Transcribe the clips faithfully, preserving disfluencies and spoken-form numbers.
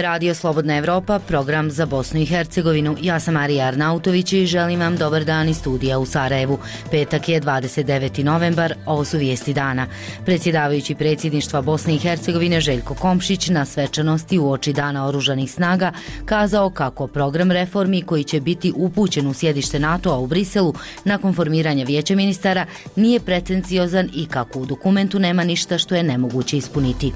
je Radio Slobodna Evropa, program za Bosnu i Hercegovinu. Ja sam Marija Arnautović i želim vam dobar dan iz studija u Sarajevu. Petak je dvadeset deveti novembar, ovo su vijesti dana. Predsjedavajući predsjedništva Bosne i Hercegovine Željko Komšić na svečanosti uoči Dana oružanih snaga kazao kako program reformi koji će biti upućen u sjedište NATO-a u Briselu nakon formiranja vijeća ministara nije pretenciozan i kako u dokumentu nema ništa što je nemoguće ispuniti.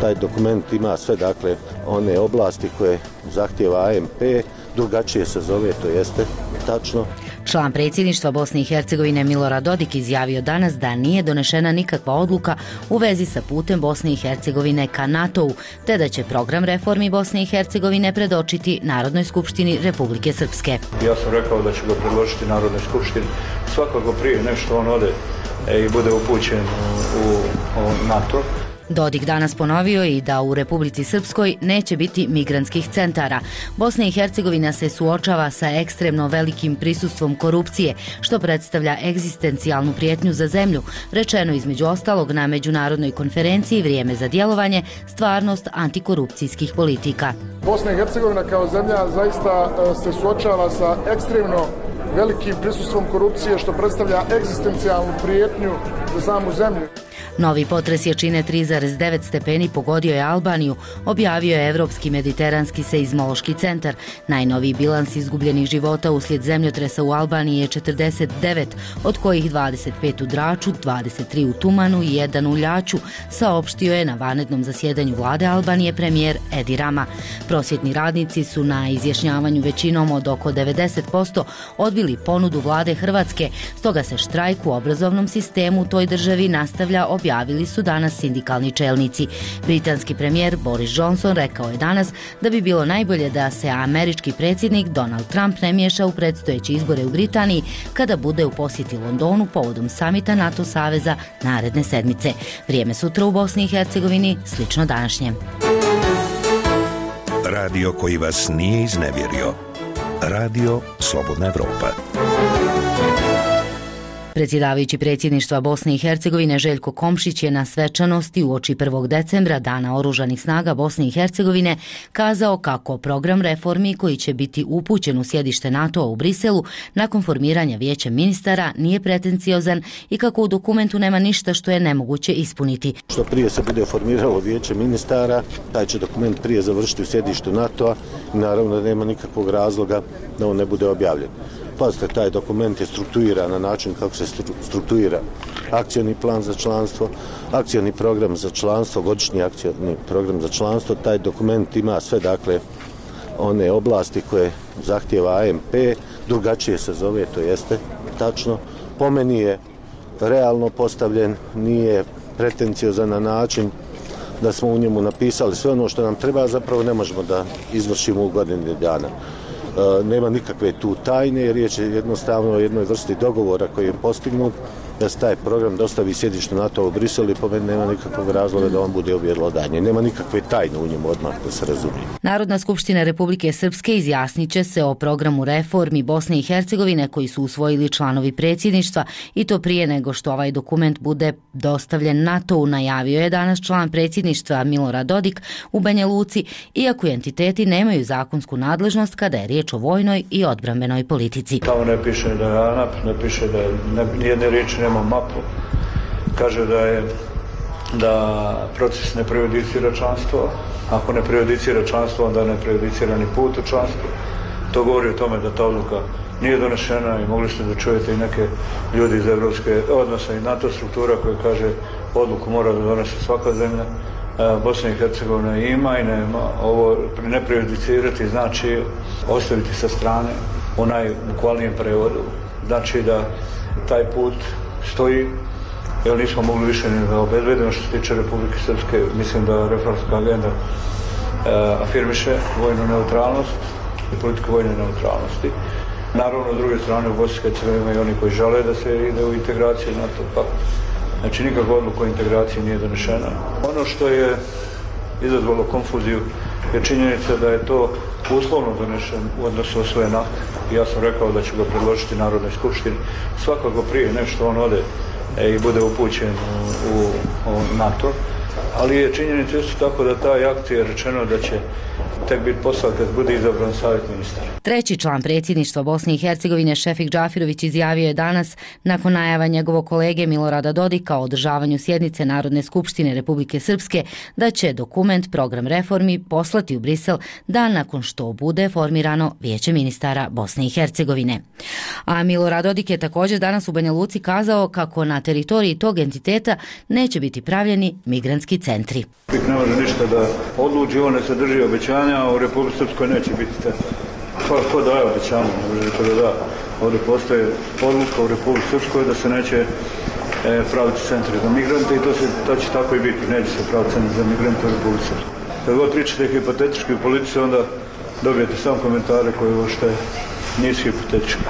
Taj dokument ima sve, dakle, one oblasti koje zahtjeva A M P, drugačije se zove, to jeste tačno. Član predsjedništva Bosne i Hercegovine Milorad Dodik izjavio danas da nije donešena nikakva odluka u vezi sa putem Bosne i Hercegovine ka NATO-u, te da će program reformi Bosne i Hercegovine predočiti Narodnoj skupštini Republike Srpske. Ja sam rekao da ću ga predložiti Narodnoj skupštini svakako prije nešto on ode i bude upućen u, u NATO. Dodik danas ponovio i da u Republici Srpskoj neće biti migrantskih centara. Bosna i Hercegovina se suočava sa ekstremno velikim prisustvom korupcije, što predstavlja egzistencijalnu prijetnju za zemlju, rečeno između ostalog na međunarodnoj konferenciji Vrijeme za djelovanje, stvarnost antikorupcijskih politika. Bosna i Hercegovina kao zemlja zaista se suočava sa ekstremno velikim prisustvom korupcije, što predstavlja egzistencijalnu prijetnju za samu zemlju. Novi potres jačine tri zarez devet stepeni pogodio je Albaniju, objavio je Evropski mediteranski seizmološki centar. Najnoviji bilans izgubljenih života uslijed zemljotresa u Albaniji je četrdeset devet, od kojih dvadeset pet u Draču, dvadeset tri u Tumanu i jedan u Ljaču, saopštio je na vanrednom zasjedanju vlade Albanije premijer Edi Rama. Prosvjetni radnici su na izjašnjavanju većinom od oko devedeset posto odbili ponudu vlade Hrvatske, stoga se štrajk u obrazovnom sistemu u toj državi nastavlja, objavili su danas sindikalni čelnici. Britanski premijer Boris Johnson rekao je danas da bi bilo najbolje da se američki predsjednik Donald Trump ne miješa u predstojeće izbore u Britaniji kada bude u posjeti Londonu povodom samita NATO saveza naredne sedmice. Vrijeme sutra u Bosni i Hercegovini slično današnjem. Radio koji vas nije iznevjerio. Radio Slobodna Evropa. Predsjedavajući predsjedništva Bosne i Hercegovine Željko Komšić je na svečanosti uoči prvog decembra Dana oružanih snaga Bosne i Hercegovine kazao kako program reformi koji će biti upućen u sjedište NATO-a u Briselu nakon formiranja vijeća ministara nije pretenciozan i kako u dokumentu nema ništa što je nemoguće ispuniti. Što prije se bude formiralo vijeće ministara, taj će dokument prije završiti u sjedištu NATO-a i naravno da nema nikakvog razloga da on ne bude objavljen. Pazite, taj dokument je strukturiran na način kako se strukturira akcioni plan za članstvo, akcioni program za članstvo, godišnji akcioni program za članstvo. Taj dokument ima sve, dakle, one oblasti koje zahtjeva A M P, drugačije se zove, to jeste tačno. Po meni je realno postavljen, nije pretenciozan na način da smo u njemu napisali sve ono što nam treba, zapravo ne možemo da izvršimo u godini dana. E, nema nikakve tu tajne, riječ je jednostavno o jednoj vrsti dogovora koji je postignut da se taj program dostavi sjedištu NATO u Briselu i po meni nema nikakvog razloga da on bude objelodanje. Nema nikakve tajne u njemu, odmah da se razumije. Narodna skupština Republike Srpske izjasnit će se o programu reformi Bosne i Hercegovine koji su usvojili članovi predsjedništva i to prije nego što ovaj dokument bude dostavljen NATO-u, najavio je danas član predsjedništva Milorad Dodik u Banja Luci, iako entiteti nemaju zakonsku nadležnost kada je riječ o vojnoj i odbrambenoj politici. Tamo ne piše da je A N A P, ne piše da je nijedne riječi nema mapu. Kaže da je da proces ne prejudicira članstvo. Ako ne prejudicira članstvo, onda ne prejudicira ni put u članstvo. To govori o tome da ta odluka nije donešena i mogli ste da čujete i neke ljudi iz evropske odnosa i NATO struktura koje kaže odluku mora da donese svaka zemlja. Bosna i Hercegovina ima i nema. Ovo ne prejudicirati znači ostaviti sa strane u najbukvalnijem prevodu. Znači da taj put stoji, jer nismo mogli više ni da obezbedimo što se tiče Republike Srpske. Mislim da reformska agenda e, afirmiše vojnu neutralnost i politiku vojne neutralnosti. Naravno, s druge strane, u Bosni i Hercegovini ima i oni koji žele da se ide u integraciju NATO pakta. Znači, nikakva odluka o integraciji nije donešena. Ono što je izazvalo konfuziju je činjenica da je to uslovno donešen u odnosu osvojen akt. Ja sam rekao da ću ga predložiti Narodnoj skupštini svakako prije nešto on ode i bude upućen u, u NATO. Ali je činjenica isto tako da taj akt je rečeno da će tek biti posao kad bude izabran savjet ministara. Treći član predsjedništva Bosne i Hercegovine Šefik Džafirović izjavio je danas, nakon najava njegovog kolege Milorada Dodika o održavanju sjednice Narodne skupštine Republike Srpske, da će dokument program reformi poslati u Brisel dan nakon što bude formirano Vijeće ministara Bosne i Hercegovine. A Milorad Dodik je također danas u Banja Luci kazao kako na teritoriji tog entiteta neće biti pravljeni migrantski centri. Ne može ništa da odluči, on ne sadrži obećanja, a u Republike Srpskoj neće biti centar. Ko, ko daje obećanja, ne može to da da. Ovdje postoje odluka u Republike Srpskoj da se neće e, praviti centri za migrante i to, se, to će tako i biti. Neće se praviti centri za migrante u Republike Srpskoj. Kad god pričate hipotetički u politici, onda dobijete samo komentare koje uopšte nisu hipotetički.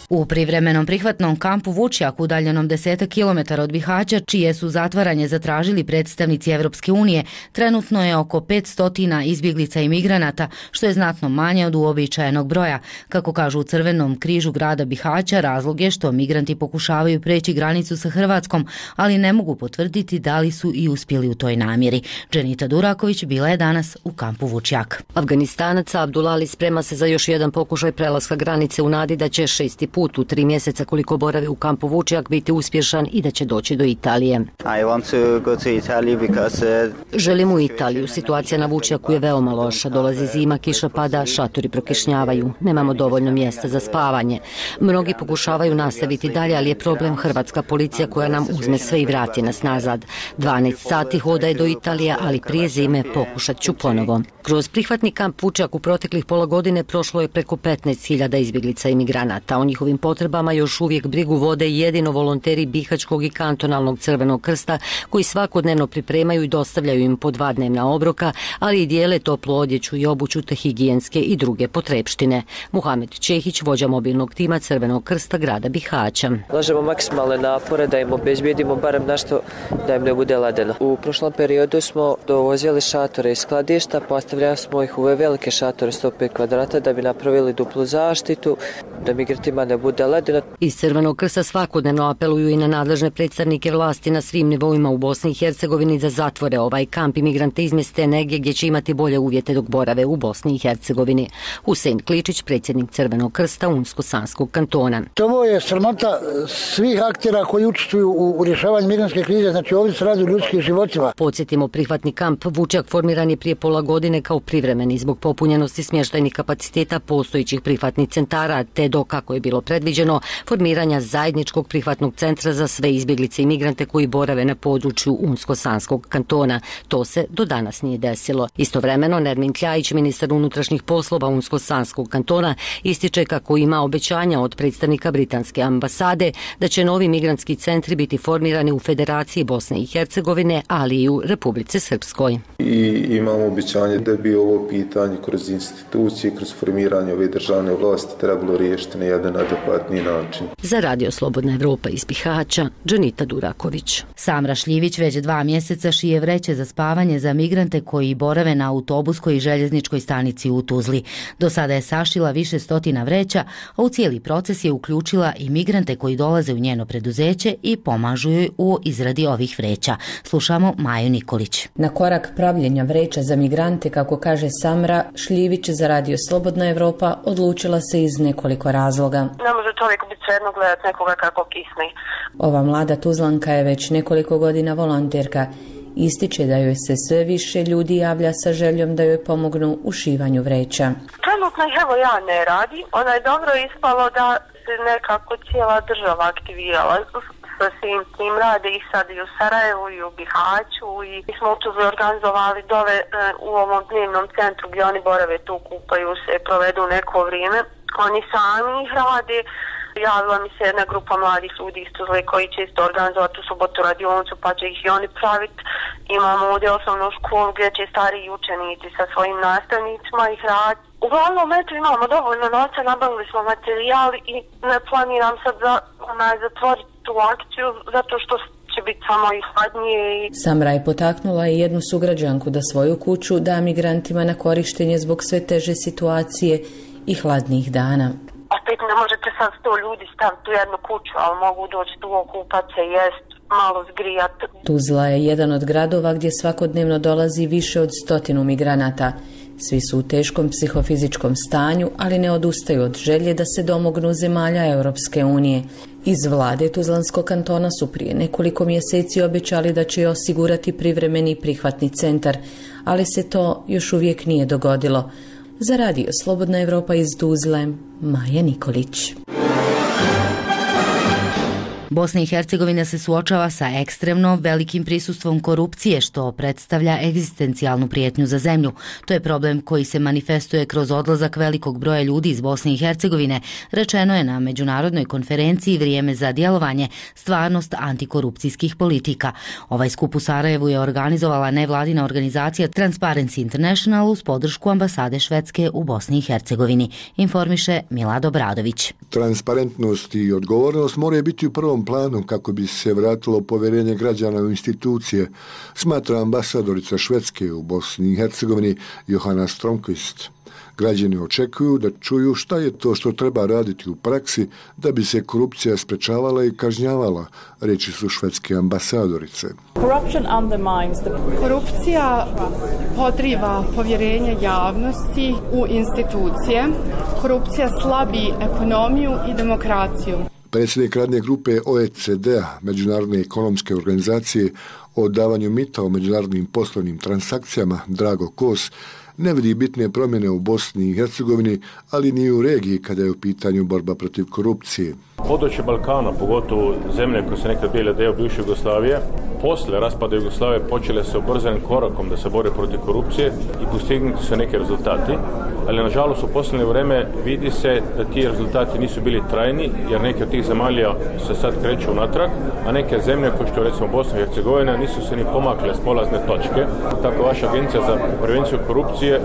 U privremenom prihvatnom kampu Vučjak, udaljenom desetak kilometara od Bihaća, čije su zatvaranje zatražili predstavnici Evropske unije, trenutno je oko petsto izbjeglica i migranata, što je znatno manje od uobičajenog broja. Kako kažu u Crvenom križu grada Bihaća, razlog je što migranti pokušavaju preći granicu sa Hrvatskom, ali ne mogu potvrditi da li su i uspjeli u toj namjeri. Dženita Duraković bila je danas u kampu Vučjak. Afganistanac Abdulali sprema se za još jedan pokušaj prelaska granice u nadi da će šesti put u tri mjeseca koliko boravi u kampu Vučjak biti uspješan i da će doći do Italije. Želim u Italiju. Situacija na Vučjaku je veoma loša. Dolazi zima, kiša pada, šatori prokišnjavaju. Nemamo dovoljno mjesta za spavanje. Mnogi pokušavaju nastaviti dalje, ali je problem hrvatska policija koja nam uzme sve i vrati nas nazad. dvanaest sati hoda je do Italije, ali prije zime pokušat ću ponovo. Kroz prihvatni kamp Vučjak u proteklih pola godine prošlo je preko petnaest hiljada izbjeglica i migranata. O njihovim potrebama još uvijek brigu vode jedino volonteri Bihaćkog i kantonalnog Crvenog krsta, koji svakodnevno pripremaju i dostavljaju im po dva dnevna obroka, ali i dijele toplu odjeću i obuću te higijenske i druge potrepštine. Muhamed Čehić, vođa mobilnog tima Crvenog krsta grada Bihaća. Ulažemo maksimalne napore da im obezbijedimo barem nešto da im ne bude ledeno. U prošlom periodu smo dovozili šatore iz skladišta, postavljali smo ih u velike šatore sto pet kvadrata da bi napravili duplu zaštitu, da migrantima ne bude ledeno. Iz Crvenog krsta svakodnevno apeluju i na nadležne predstavnike vlasti na svim nivoima u Bosni i Hercegovini da zatvore ovaj kamp i migrante izmjeste negdje gdje će imati bolje uvjete dok borave u Bosni i Hercegovini. Husein Kličić, predsjednik Crvenog krsta Unsko-Sanskog kantona. Ovo je sramota svih aktera koji učestvuju u rješavanju migrantske krize, znači ovdje se radi o ljudskim životima. Podsjetimo, prihvatni kamp Vučjak formiran je prije pola godine kao privremeni zbog popunjenosti smještajnih kapaciteta postojećih prihvatnih centara, te do, kako je bilo predviđeno, formiranja zajedničkog prihvatnog centra za sve izbjeglice i migrante koji borave na području Unsko-Sanskog kantona. To se do danas nije desilo. Istovremeno, Nermin Kljajić, ministar unutrašnjih poslova Unsko-Sanskog kantona, ističe kako ima obećanja od predstavnika britanske ambasade da će novi migrantski centri biti formirani u Federaciji Bosne i Hercegovine, ali i u Republici Srpskoj. I imamo obećanje da bi ovo pitanje kroz institucije, kroz formiranje ove državne vlasti trebalo riješiti na jedan adekvatni način. Za Radio Slobodna Evropa iz Bihaća, Dženita Duraković. Samra Šljivić već dva mjeseca šije vreće za spavanje za migrante koji borave na autobuskoj i željezničkoj stanici u Tuzli. Do sada je sašila više stotina vreća, a u cijeli proces je uključila i migrante koji dolaze u njeno preduzeće i pomažu joj u izradi ovih vreća. Slušamo Maju Nikolić. Na korak pravljenja vreća za migrante, kako kaže Samra Šljivić za Radio Slobodna Evropa, odlučila se iz nekoliko razloga. Ne može čovjek biti svejedno gledati nekoga kako kisne. Ova mlada Tuzlanka je već nekoliko godina volonterka. Ističe da joj se sve više ljudi javlja sa željom da joj pomognu u šivanju vreća. Trenutno evo ja ne radi. Ona je dobro ispalo da se nekako cijela država aktivirala sa svim tim rade i sad i u Sarajevu i u Bihaću i mi smo u Tuzli organizovali dole u ovom dnevnom centru gdje oni borave tu, kupaju se, provedu neko vrijeme. Oni sami ih rade. Javila mi se jedna grupa mladih ljudi iz Tuzle koji će isto organizovati u subotu radionicu pa će ih i oni praviti. Imamo ovdje osnovnu školu gdje će stariji učenici sa svojim nastavnicima ih raditi. Uglavnom, eto, imamo dovoljno novca, nabavili smo materijal i ne planiram sad za, onaj, zatvoriti tu akciju zato što će biti samo i hladnije. I... Samra je potaknula i jednu sugrađanku da svoju kuću da migrantima na korištenje zbog sve teže situacije i hladnih dana. Opet ne možete sad sto ljudi staviti u jednu kuću, ali mogu doći tu okupat se, jest, malo zgrijati. Tuzla je jedan od gradova gdje svakodnevno dolazi više od stotinu migranata. Svi su u teškom psihofizičkom stanju, ali ne odustaju od želje da se domognu zemalja Europske unije. Iz vlade Tuzlanskog kantona su prije nekoliko mjeseci obećali da će osigurati privremeni prihvatni centar, ali se to još uvijek nije dogodilo. Za radio Slobodna Evropa iz Tuzle, Maja Nikolić. Bosna i Hercegovina se suočava sa ekstremno velikim prisustvom korupcije, što predstavlja egzistencijalnu prijetnju za zemlju. To je problem koji se manifestuje kroz odlazak velikog broja ljudi iz Bosne i Hercegovine, rečeno je na međunarodnoj konferenciji Vrijeme za djelovanje, stvarnost antikorupcijskih politika. Ovaj skup u Sarajevu je organizovala nevladina organizacija Transparency International uz podršku ambasade Švedske u Bosni i Hercegovini, informiše Milad Obradović. Transparentnost i odgovornost moraju biti u prvom planu kako bi se vratilo povjerenje građana u institucije, smatra ambasadorica Švedske u Bosni i Hercegovini Johana Stromqvist. Građani očekuju da čuju šta je to što treba raditi u praksi da bi se korupcija sprečavala i kažnjavala, reći su švedske ambasadorice. Korupcija podriva povjerenje javnosti u institucije. Korupcija slabi ekonomiju i demokraciju. Predsjednik radne grupe O E C D-a, Međunarodne ekonomske organizacije, o davanju mita o međunarodnim poslovnim transakcijama, Drago Kos, ne vidi bitne promjene u Bosni i Hercegovini, ali ni u regiji kada je u pitanju borba protiv korupcije. Područje Balkana, pogotovo zemlje koje se nekad bile dio bivše Jugoslavije, posle raspada Jugoslavije počele se ubrzanim korakom da se bore protiv korupcije i postignuti su neki rezultati, ali nažalost u posljednje vrijeme vidi se da ti rezultati nisu bili trajni, jer neke od tih zemalja se sad kreću unatrag, a neke zemlje, kao što je recimo Bosna i Hercegovina, nisu se ni pomakle s polazne točke. Tako vaša agencija za prevenciju korupcije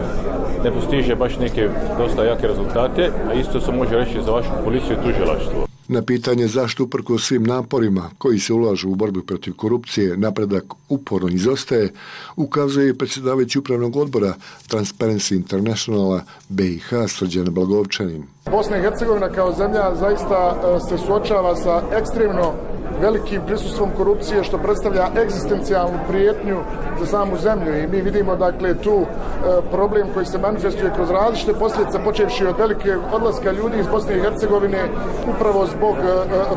ne postiže baš neke dosta jake rezultate, a isto se može reći za vašu policiju i tužilaštvo. Na pitanje zašto uprkos svim naporima koji se ulažu u borbu protiv korupcije napredak uporno izostaje, ukazuje i predsjedavajući upravnog odbora Transparency Internationala B i H Srđan Blagovčanin. Bosna i Hercegovina kao zemlja zaista se suočava sa ekstremno velikim prisustvom korupcije, što predstavlja egzistencijalnu prijetnju za samu zemlju. I mi vidimo dakle tu e, problem koji se manifestuje kroz različite posljedice, počevši od velike odlaska ljudi iz Bosne i Hercegovine upravo zbog e,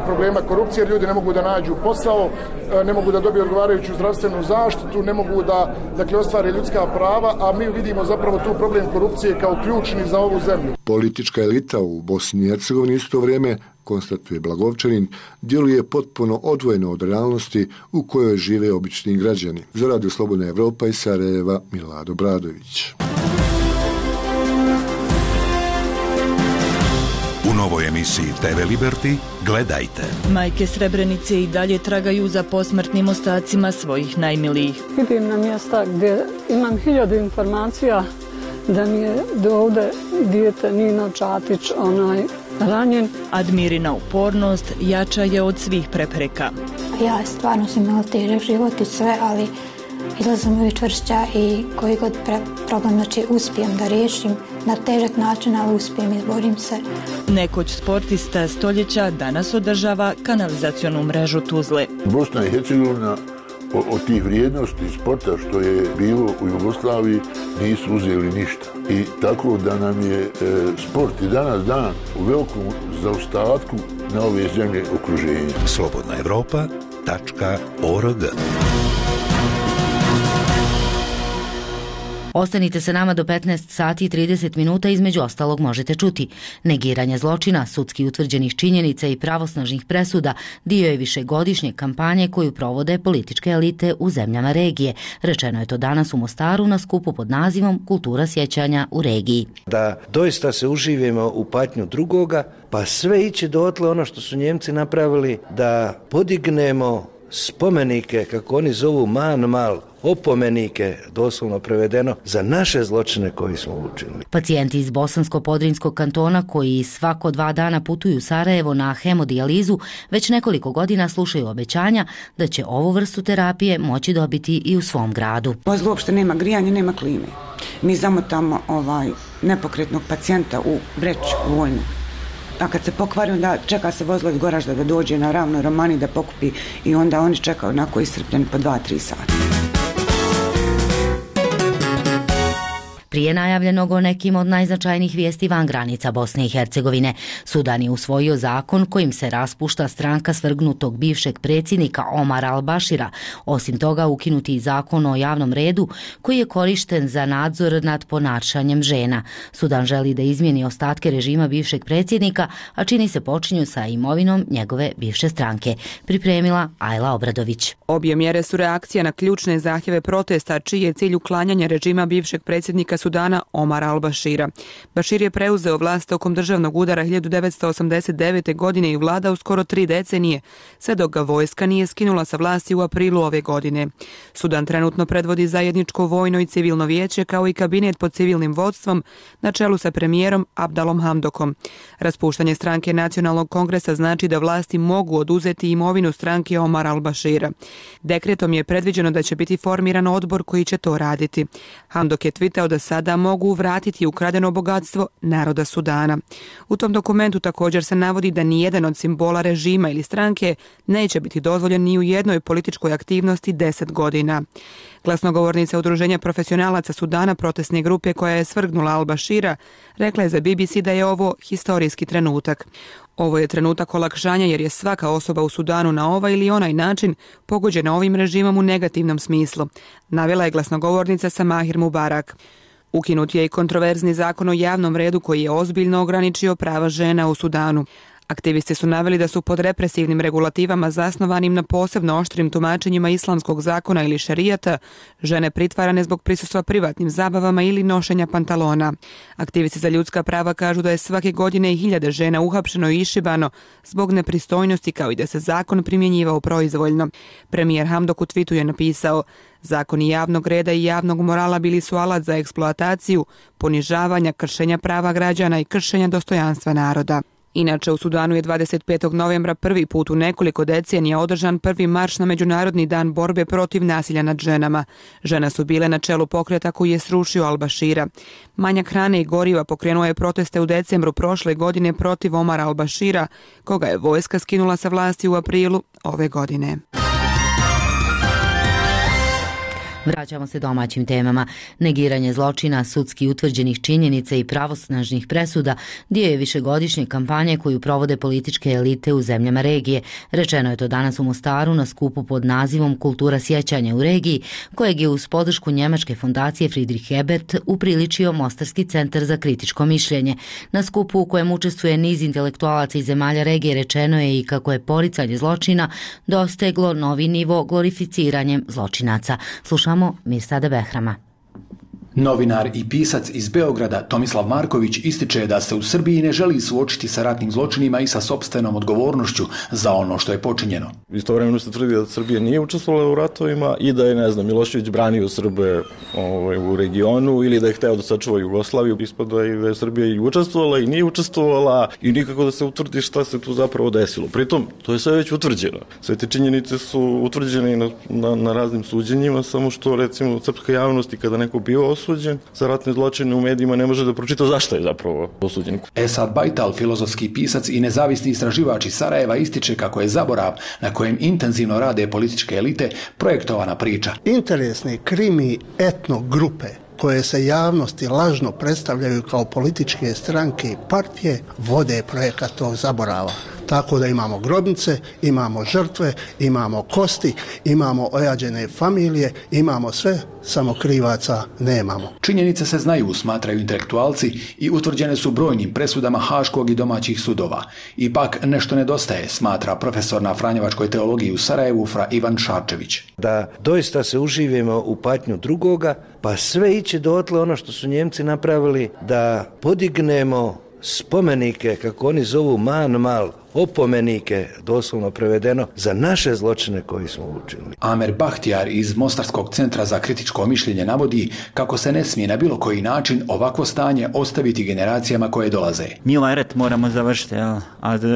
problema korupcije, jer ljudi ne mogu da nađu posao, e, ne mogu da dobiju odgovarajuću zdravstvenu zaštitu, ne mogu da dakle ostvare ljudska prava, a mi vidimo zapravo tu problem korupcije kao ključni za ovu zemlju. Politička elita u Bosni i Hercegovini isto vrijeme, konstatuje Blagovčanin, djeluje potpuno odvojeno od realnosti u kojoj žive obični građani. Za Radio Slobodna Evropa iz Sarajeva, Milad Obradović. U novoj emisiji T V Liberty gledajte. Majke Srebrenice i dalje tragaju za posmrtnim ostacima svojih najmilijih. Idem na mjesta gdje imam hiljadu informacija da mi je do ovde dijete Nino Čatić onaj ranjen. Admirina upornost jača je od svih prepreka. Ja stvarno sam imala težak život i sve, ali izlazim uvijek čvršća i koji god pre problem znači uspijem da riješim na težak način, ali uspijem, izborim se. Nekoć sportista stoljeća danas održava kanalizacionu mrežu Tuzle. Bosna i Hercegovina od tih vrijednosti sporta što je bilo u Jugoslaviji nisu uzeli ništa. I tako da nam je e, sport i danas dan u velikom zaostatku na ove zemlje okruženja. Slobodna Evropa tačka org. Ostanite sa nama do petnaest sati i trideset minuta, između ostalog možete čuti negiranje zločina, sudski utvrđenih činjenica i pravosnažnih presuda dio je višegodišnje kampanje koju provode političke elite u zemljama regije. Rečeno je to danas u Mostaru na skupu pod nazivom Kultura sjećanja u regiji. Da doista se uživimo u patnju drugoga, pa sve ići dotle ono što su Njemci napravili, da podignemo spomenike, kako oni zovu man-mal, opomenike, doslovno prevedeno, za naše zločine koji smo učinili. Pacijenti iz Bosansko-Podrinjskog kantona koji svako dva dana putuju u Sarajevo na hemodijalizu već nekoliko godina slušaju obećanja da će ovu vrstu terapije moći dobiti i u svom gradu. Vozilo uopšte nema grijanja, nema klime. Mi zamotamo ovaj nepokretnog pacijenta u vreću vojnu. A kad se pokvari, onda čeka se vozilo iz Goražda da dođe na ravnoj Romani da pokupi i onda oni čekaju onako iscrpljeni po dva tri sata. Prije najavljenog o nekim od najznačajnijih vijesti van granica Bosne i Hercegovine, Sudan je usvojio zakon kojim se raspušta stranka svrgnutog bivšeg predsjednika Omara al-Bashira. Osim toga, ukinuti i zakon o javnom redu koji je korišten za nadzor nad ponašanjem žena. Sudan želi da izmijeni ostatke režima bivšeg predsjednika, a čini se počinju sa imovinom njegove bivše stranke. Pripremila Ajla Obradović. Obje mjere su reakcija na ključne zahtjeve protesta, čiji je cilj uklanjanje režima bivšeg predsjednika Sudana Omara al-Bashira. Bashir je preuzeo vlast tokom državnog udara hiljadu devetsto osamdeset devete. godine i vladao skoro tri decenije, sve dok ga vojska nije skinula sa vlasti u aprilu ove godine. Sudan trenutno predvodi zajedničko vojno i civilno vijeće kao i kabinet pod civilnim vodstvom na čelu sa premijerom Abdalom Hamdokom. Raspuštanje stranke Nacionalnog kongresa znači da vlasti mogu oduzeti imovinu stranke Omara al-Bashira. Dekretom je predviđeno da će biti formiran odbor koji će to raditi. Hamdok je tvitao da sada mogu vratiti ukradeno bogatstvo naroda Sudana. U tom dokumentu također se navodi da nijedan od simbola režima ili stranke neće biti dozvoljen ni u jednoj političkoj aktivnosti deset godina. Glasnogovornica Udruženja profesionalaca Sudana, protestne grupe koja je svrgnula al-Bashira, rekla je za B B C da je ovo historijski trenutak. Ovo je trenutak olakšanja jer je svaka osoba u Sudanu na ovaj ili onaj način pogođena ovim režimom u negativnom smislu, navela je glasnogovornica Samahir Mubarak. Ukinut je i kontroverzni zakon o javnom redu koji je ozbiljno ograničio prava žena u Sudanu. Aktivisti su naveli da su pod represivnim regulativama zasnovanim na posebno oštrim tumačenjima islamskog zakona ili šerijata žene pritvarane zbog prisustva privatnim zabavama ili nošenja pantalona. Aktivisti za ljudska prava kažu da je svake godine i hiljade žena uhapšeno i išibano zbog nepristojnosti, kao i da se zakon primjenjivao proizvoljno. Premijer Hamdok u twitu je napisao: zakoni javnog reda i javnog morala bili su alat za eksploataciju, ponižavanja, kršenja prava građana i kršenja dostojanstva naroda. Inače, u Sudanu je dvadeset petog novembra prvi put u nekoliko decenija održan prvi marš na Međunarodni dan borbe protiv nasilja nad ženama. Žene su bile na čelu pokreta koji je srušio al-Bashira. Manjak hrane i goriva pokrenuo je proteste u decembru prošle godine protiv Omara al-Bashira, koga je vojska skinula sa vlasti u aprilu ove godine. Vraćamo se domaćim temama. Negiranje zločina, sudski utvrđenih činjenica i pravosnažnih presuda dio je višegodišnje kampanje koju provode političke elite u zemljama regije. Rečeno je to danas u Mostaru na skupu pod nazivom Kultura sjećanja u regiji, kojeg je uz podršku njemačke fondacije Friedrich Ebert upriličio Mostarski centar za kritičko mišljenje. Na skupu u kojem učestvuje niz intelektualaca iz zemalja regije rečeno je i kako je poricanje zločina dosteglo novi nivo glorificiranjem zločinaca. Slušamo Mirsada Behrama. Novinar i pisac iz Beograda Tomislav Marković ističe da se u Srbiji ne želi suočiti sa ratnim zločinima i sa sopstvenom odgovornošću za ono što je počinjeno. Istovremeno se tvrdi da Srbija nije učestvovala u ratovima i da je, ne znam, Milošević branio Srbe ovaj, u regionu ili da je hteo da sačuva Jugoslaviju. Ispada i da je Srbija i učestvovala i nije učestvovala i nikako da se utvrdi šta se tu zapravo desilo. Pritom, to je sve već utvrđeno. Sve te činjenice su utvrđene na, na, na raznim suđenjima, samo što, recimo, srpska javnost i kada neko bio osuđen za ratne zločine u medijima ne može da pročita zašto je zapravo osuđen. Esad Bajtal, filozofski pisac i nezavisni istraživač iz Sarajeva, ističe kako je zaborav na kojem intenzivno rade političke elite projektovana priča. Interesne krimi etno grupe koje se javnosti lažno predstavljaju kao političke stranke i partije vode projekat tog zaborava. Tako da imamo grobnice, imamo žrtve, imamo kosti, imamo ojađene familije, imamo sve, samo krivaca nemamo. Činjenice se znaju, smatraju intelektualci, i utvrđene su brojnim presudama haškog i domaćih sudova. Ipak nešto nedostaje, smatra profesor na Franjevačkoj teologiji u Sarajevu Fra Ivan Šarčević. Da doista se uživimo u patnju drugoga, pa sve iće dotle ono što su Njemci napravili, da podignemo spomenike, kako oni zovu manmal, opomenike, doslovno prevedeno, za naše zločine koji smo učinili. Amer Bahtijar iz Mostarskog centra za kritičko mišljenje navodi kako se ne smije na bilo koji način ovakvo stanje ostaviti generacijama koje dolaze. Mi ovaj rat moramo završiti, a,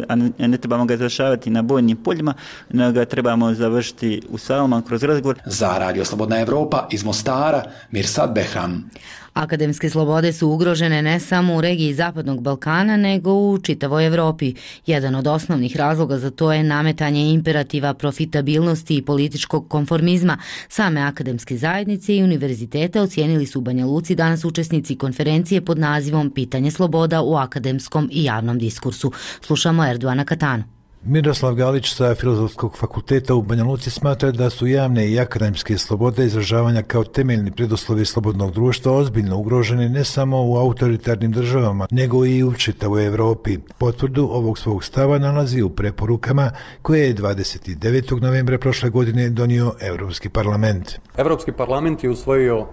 a ne trebamo ga završavati na bojnim poljima, nego ga trebamo završiti u salama kroz razgovor. Za Radio Slobodna Evropa iz Mostara, Mirsad Behram. Akademske slobode su ugrožene ne samo u regiji Zapadnog Balkana, nego u čitavoj Evropi. Jedan od osnovnih razloga za to je nametanje imperativa profitabilnosti i političkog konformizma. Same akademske zajednice i univerziteta ocijenili su u Banja Luci danas učesnici konferencije pod nazivom Pitanje sloboda u akademskom i javnom diskursu. Slušamo Erduana Katanu. Miroslav Galić sa Filozofskog fakulteta u Banja Luci smatra da su javne i akademske slobode izražavanja kao temeljni preduslovi slobodnog društva ozbiljno ugroženi ne samo u autoritarnim državama, nego i u čitavoj Evropi. Potvrdu ovog svog stava nalazi u preporukama koje je dvadeset devetog novembra prošle godine donio Evropski parlament. Evropski parlament je usvojio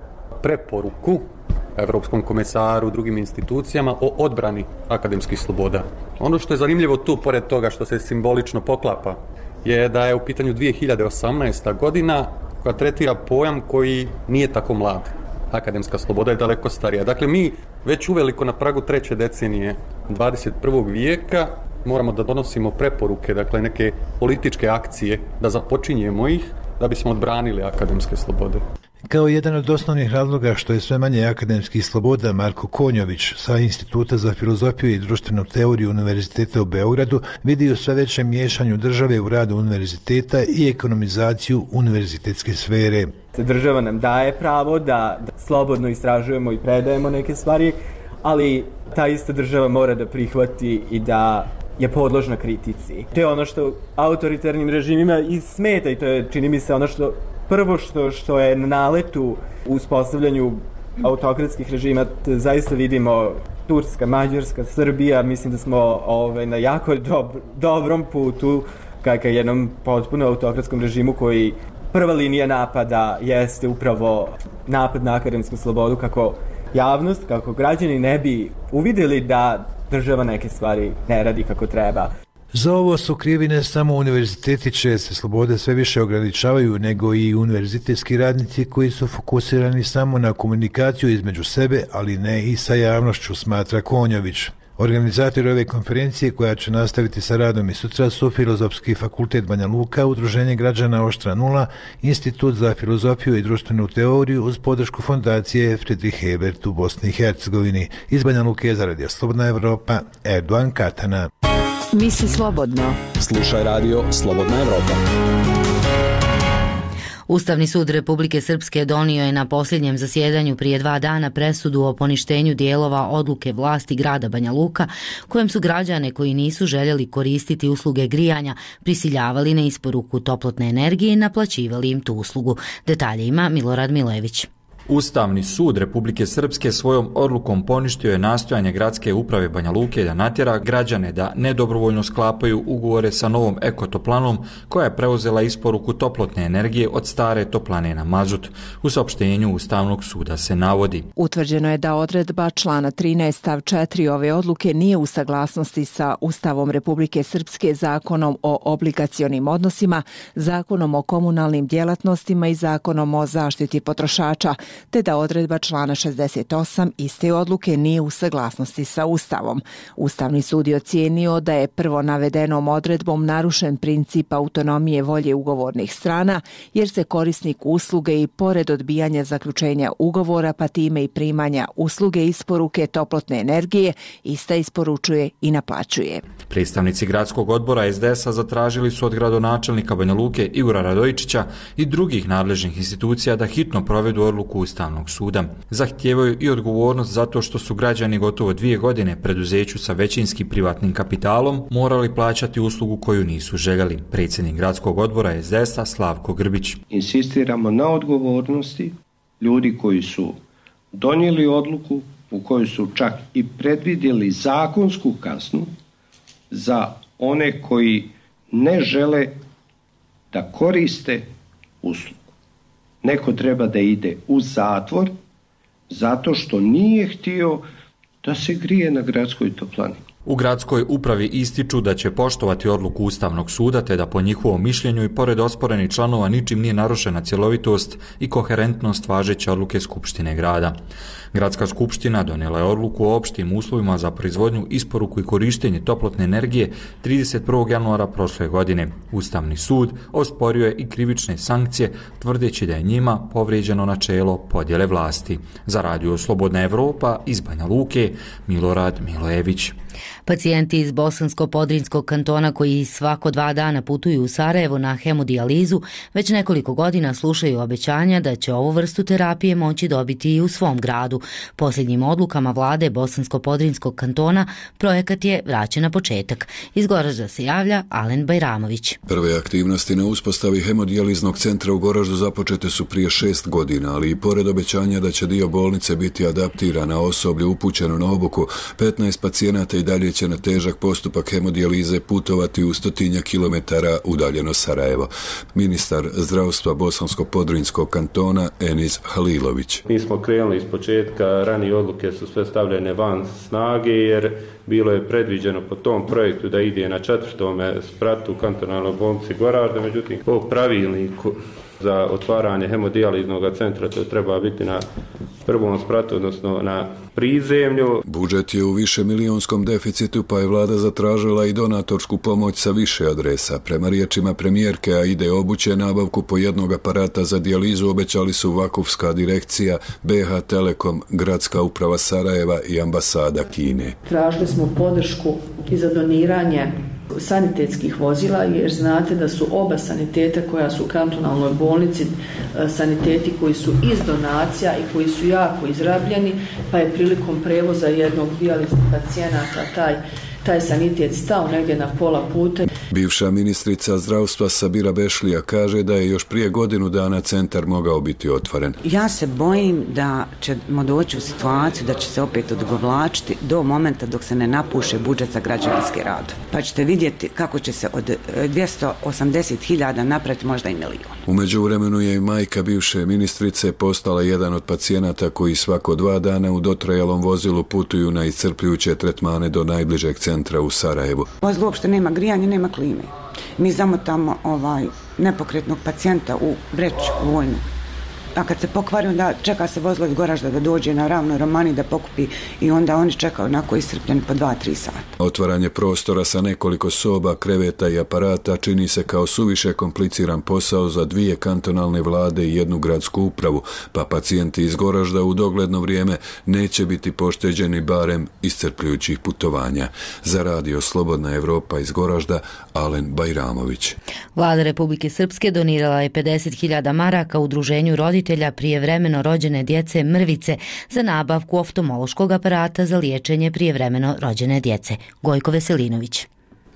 preporuku Evropskom komisaru, drugim institucijama o odbrani akademskih sloboda. Ono što je zanimljivo tu, pored toga što se simbolično poklapa, je da je u pitanju dvije hiljade osamnaesta godina koja tretira pojam koji nije tako mlad. Akademska sloboda je daleko starija. Dakle, mi već uveliko na pragu treće decenije dvadeset prvog vijeka moramo da donosimo preporuke, dakle neke političke akcije, da započinjemo ih da bismo odbranili akademske slobode. Kao jedan od osnovnih razloga što je sve manje akademskih sloboda, Marko Konjović sa Instituta za filozofiju i društvenu teoriju Univerziteta u Beogradu vidi u sve većem miješanju države u radu univerziteta i ekonomizaciju univerzitetske sfere. Država nam daje pravo da, da slobodno istražujemo i predajemo neke stvari, ali ta ista država mora da prihvati i da je podložna kritici. To je ono što autoritarnim režimima i smeta i to je, čini mi se, ono što prvo što, što je na naletu u uspostavljanju autokratskih režima. Zaista vidimo Turska, Mađarska, Srbija, mislim da smo ovaj, na jako dob, dobrom putu ka, ka jednom potpuno autokratskom režimu koji prva linija napada jeste upravo napad na akademsku slobodu, kako javnost, kako građani ne bi uvidjeli da država neke stvari ne radi kako treba. Za ovo su krivi ne samo univerziteti čije se slobode sve više ograničavaju, nego i univerzitetski radnici koji su fokusirani samo na komunikaciju između sebe, ali ne i sa javnošću, smatra Konjović. Organizatori ove konferencije, koja će nastaviti sa radom i sutra, su Filozofski fakultet Banja Luka, Udruženje građana Oštra nula, Institut za filozofiju i društvenu teoriju uz podršku fondacije Friedrich Ebert u Bosni i Hercegovini. Iz Banja Luke za Radio Slobodna Evropa, Erduan Katana. Misli slobodno. Slušaj radio Slobodna Evropa. Ustavni sud Republike Srpske donio je na posljednjem zasjedanju prije dva dana presudu o poništenju dijelova odluke vlasti grada Banja Luka, kojem su građane koji nisu željeli koristiti usluge grijanja prisiljavali na isporuku toplotne energije i naplaćivali im tu uslugu. Detalje ima Milorad Milević. Ustavni sud Republike Srpske svojom odlukom poništio je nastojanje gradske uprave Banja Luke da natjera građane da nedobrovoljno sklapaju ugovore sa novom ekotoplanom koja je preuzela isporuku toplotne energije od stare toplane na mazut. U saopštenju Ustavnog suda se navodi: utvrđeno je da odredba člana trinaest stav četiri ove odluke nije u saglasnosti sa Ustavom Republike Srpske, Zakonom o obligacionim odnosima, Zakonom o komunalnim djelatnostima i Zakonom o zaštiti potrošača, te da odredba člana šezdeset osam iste odluke nije u saglasnosti sa Ustavom. Ustavni sud je ocijenio da je prvo navedenom odredbom narušen princip autonomije volje ugovornih strana, jer se korisnik usluge i pored odbijanja zaključenja ugovora, pa time i primanja usluge isporuke toplotne energije, ista isporučuje i naplaćuje. Predstavnici gradskog odbora es de es a zatražili su od gradonačelnika Banja Luke Igora Radojičića i drugih nadležnih institucija da hitno provedu odluku Ustavnog suda. Zahtijevaju i odgovornost zato što su građani gotovo dvije godine preduzeću sa većinskim privatnim kapitalom morali plaćati uslugu koju nisu željeli. Predsjednik gradskog odbora es de es a Slavko Grbić. Insistiramo na odgovornosti ljudi koji su donijeli odluku u kojoj su čak i predvidjeli zakonsku kaznu za one koji ne žele da koriste uslugu. Neko treba da ide u zatvor zato što nije htio da se grije na gradskoj toplani. U gradskoj upravi ističu da će poštovati odluku Ustavnog suda te da po njihovom mišljenju i pored osporenih članova ničim nije narušena cjelovitost i koherentnost važeće odluke Skupštine grada. Gradska skupština donijela je odluku o opštim uslovima za proizvodnju, isporuku i korištenje toplotne energije trideset prvog januara prošle godine. Ustavni sud osporio je i krivične sankcije, tvrdeći da je njima povrijeđeno načelo podjele vlasti. Za Radio Slobodna Evropa iz Banja Luke, Milorad Milojević. Pacijenti iz Bosansko-Podrinjskog kantona koji svako dva dana putuju u Sarajevo na hemodijalizu već nekoliko godina slušaju obećanja da će ovu vrstu terapije moći dobiti i u svom gradu. Posljednjim odlukama vlade Bosansko-Podrinjskog kantona projekat je vraćen na početak. Iz Goražda se javlja Alen Bajramović. Prve aktivnosti na uspostavi hemodijaliznog centra u Goraždu započete su prije šest godina, ali i pored obećanja da će dio bolnice biti adaptiran na osoblje upućeno na obuku, petnaest pacijenata i dalje će na težak postupak hemodijalize putovati u stotinja kilometara udaljeno Sarajevo. Ministar zdravstva Bosansko-Podrinjskog kantona Enis Halilović. Mi smo krenuli iz početka, ranije odluke su sve stavljene van snage jer bilo je predviđeno po tom projektu da ide na četvrtome spratu u kantonalnoj bolnici Goražda, međutim po pravilniku za otvaranje hemodijaliznog centra to treba biti na prvom spratu, odnosno na prizemlju. Budžet je u više milionskom deficitu, pa je vlada zatražila i donatorsku pomoć sa više adresa. Prema riječima premijerke, a ide obuće nabavku po jednog aparata za dijalizu, obećali su Vakufska direkcija, B H Telekom, Gradska uprava Sarajeva i ambasada Kine. Tražili smo podršku i za doniranje sanitetskih vozila, jer znate da su oba saniteta koja su u kantonalnoj bolnici saniteti koji su iz donacija i koji su jako izrabljeni, pa je prilikom prevoza jednog dijaliznog pacijenata taj taj sanitet stao negdje na pola puta. Bivša ministrica zdravstva Sabira Bešlija kaže da je još prije godinu dana centar mogao biti otvoren. Ja se bojim da ćemo doći u situaciju da će se opet odugovlačiti do momenta dok se ne napuše budžet za građevinski rad. Pa ćete vidjeti kako će se od dvjesto osamdeset hiljada napraviti možda i milijon. U međuvremenu je i majka bivše ministrice postala jedan od pacijenata koji svako dva dana u dotrajalom vozilu putuju na iscrpljujuće tretmane do najbližeg centra u Sarajevu. Vozilo uopšte nema grijanja, nema klime. Mi zamotamo ovaj nepokretnog pacijenta u vreć vojnu. A kad se pokvari, onda čeka se vozilo iz Goražda da dođe na ravnoj Romani da pokupi i onda oni čekaju onako iscrpljeni po dva tri sata. Otvaranje prostora sa nekoliko soba, kreveta i aparata čini se kao suviše kompliciran posao za dvije kantonalne vlade i jednu gradsku upravu, pa pacijenti iz Goražda u dogledno vrijeme neće biti pošteđeni barem iscrpljujućih putovanja. Za Radio Slobodna Evropa iz Goražda, Alen Bajramović. Vlada Republike Srpske donirala je pedeset hiljada maraka udruženju roditelja prijevremeno rođene djece Mrvice za nabavku oftalmološkog aparata za liječenje prijevremeno rođene djece. Gojko Veselinović.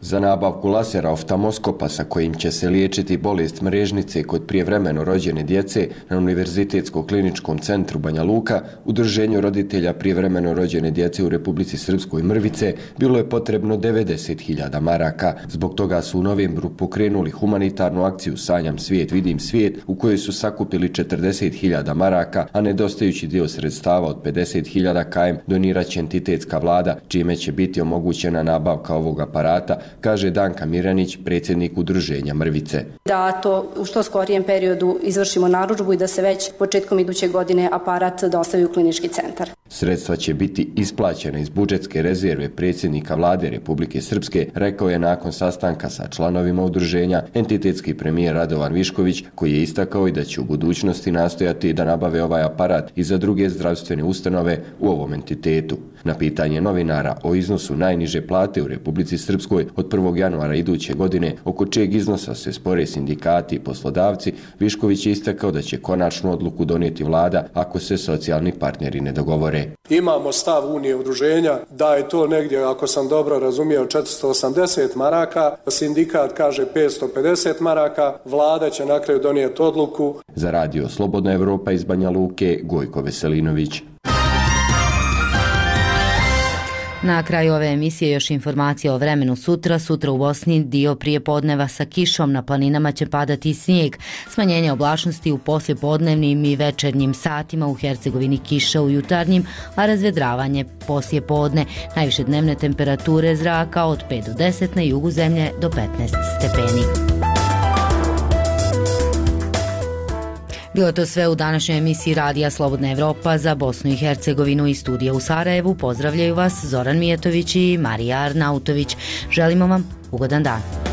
Za nabavku lasera oftalmoskopa sa kojim će se liječiti bolest mrežnice kod prijevremeno rođene djece na Univerzitetskom kliničkom centru Banja Luka, udruženju roditelja prijevremeno rođene djece u Republici Srpskoj Mrvice, bilo je potrebno devedeset hiljada maraka. Zbog toga su u novembru pokrenuli humanitarnu akciju Sanjam svijet, vidim svijet, u kojoj su sakupili četrdeset hiljada maraka, a nedostajući dio sredstava od pedeset hiljada km donirat će entitetska vlada, čime će biti omogućena nabavka ovog aparata, kaže Danka Miranić, predsjednik udruženja Mrvice. Da to u što skorijem periodu izvršimo narudžbu i da se već početkom iduće godine aparat dostavi u klinički centar. Sredstva će biti isplaćena iz budžetske rezerve predsjednika vlade Republike Srpske, rekao je nakon sastanka sa članovima udruženja entitetski premijer Radovan Višković, koji je istakao i da će u budućnosti nastojati da nabave ovaj aparat i za druge zdravstvene ustanove u ovom entitetu. Na pitanje novinara o iznosu najniže plate u Republici Srpskoj od prvog januara iduće godine, oko čijeg iznosa se spore sindikati i poslodavci, Višković je istakao da će konačnu odluku donijeti vlada ako se socijalni partneri ne dogovore. Imamo stav Unije udruženja da je to negdje, ako sam dobro razumio, četiristo osamdeset maraka, sindikat kaže petsto pedeset maraka, vlada će na kraju donijeti odluku. Za Radio Slobodna Evropa iz Banja Luke, Gojko Veselinović. Na kraju ove emisije još informacija o vremenu sutra. Sutra u Bosni dio prije podneva sa kišom, na planinama će padati snijeg. Smanjenje oblačnosti u poslijepodnevnim i večernjim satima, u Hercegovini kiša u jutarnjim, a razvedravanje poslije podne. Najviše dnevne temperature zraka od pet do deset, na jugu zemlje do petnaest stepeni. Bilo to sve u današnjoj emisiji Radija Slobodna Evropa za Bosnu i Hercegovinu. Iz studija u Sarajevu pozdravljaju vas Zoran Mijetović i Marija Arnautović. Želimo vam ugodan dan.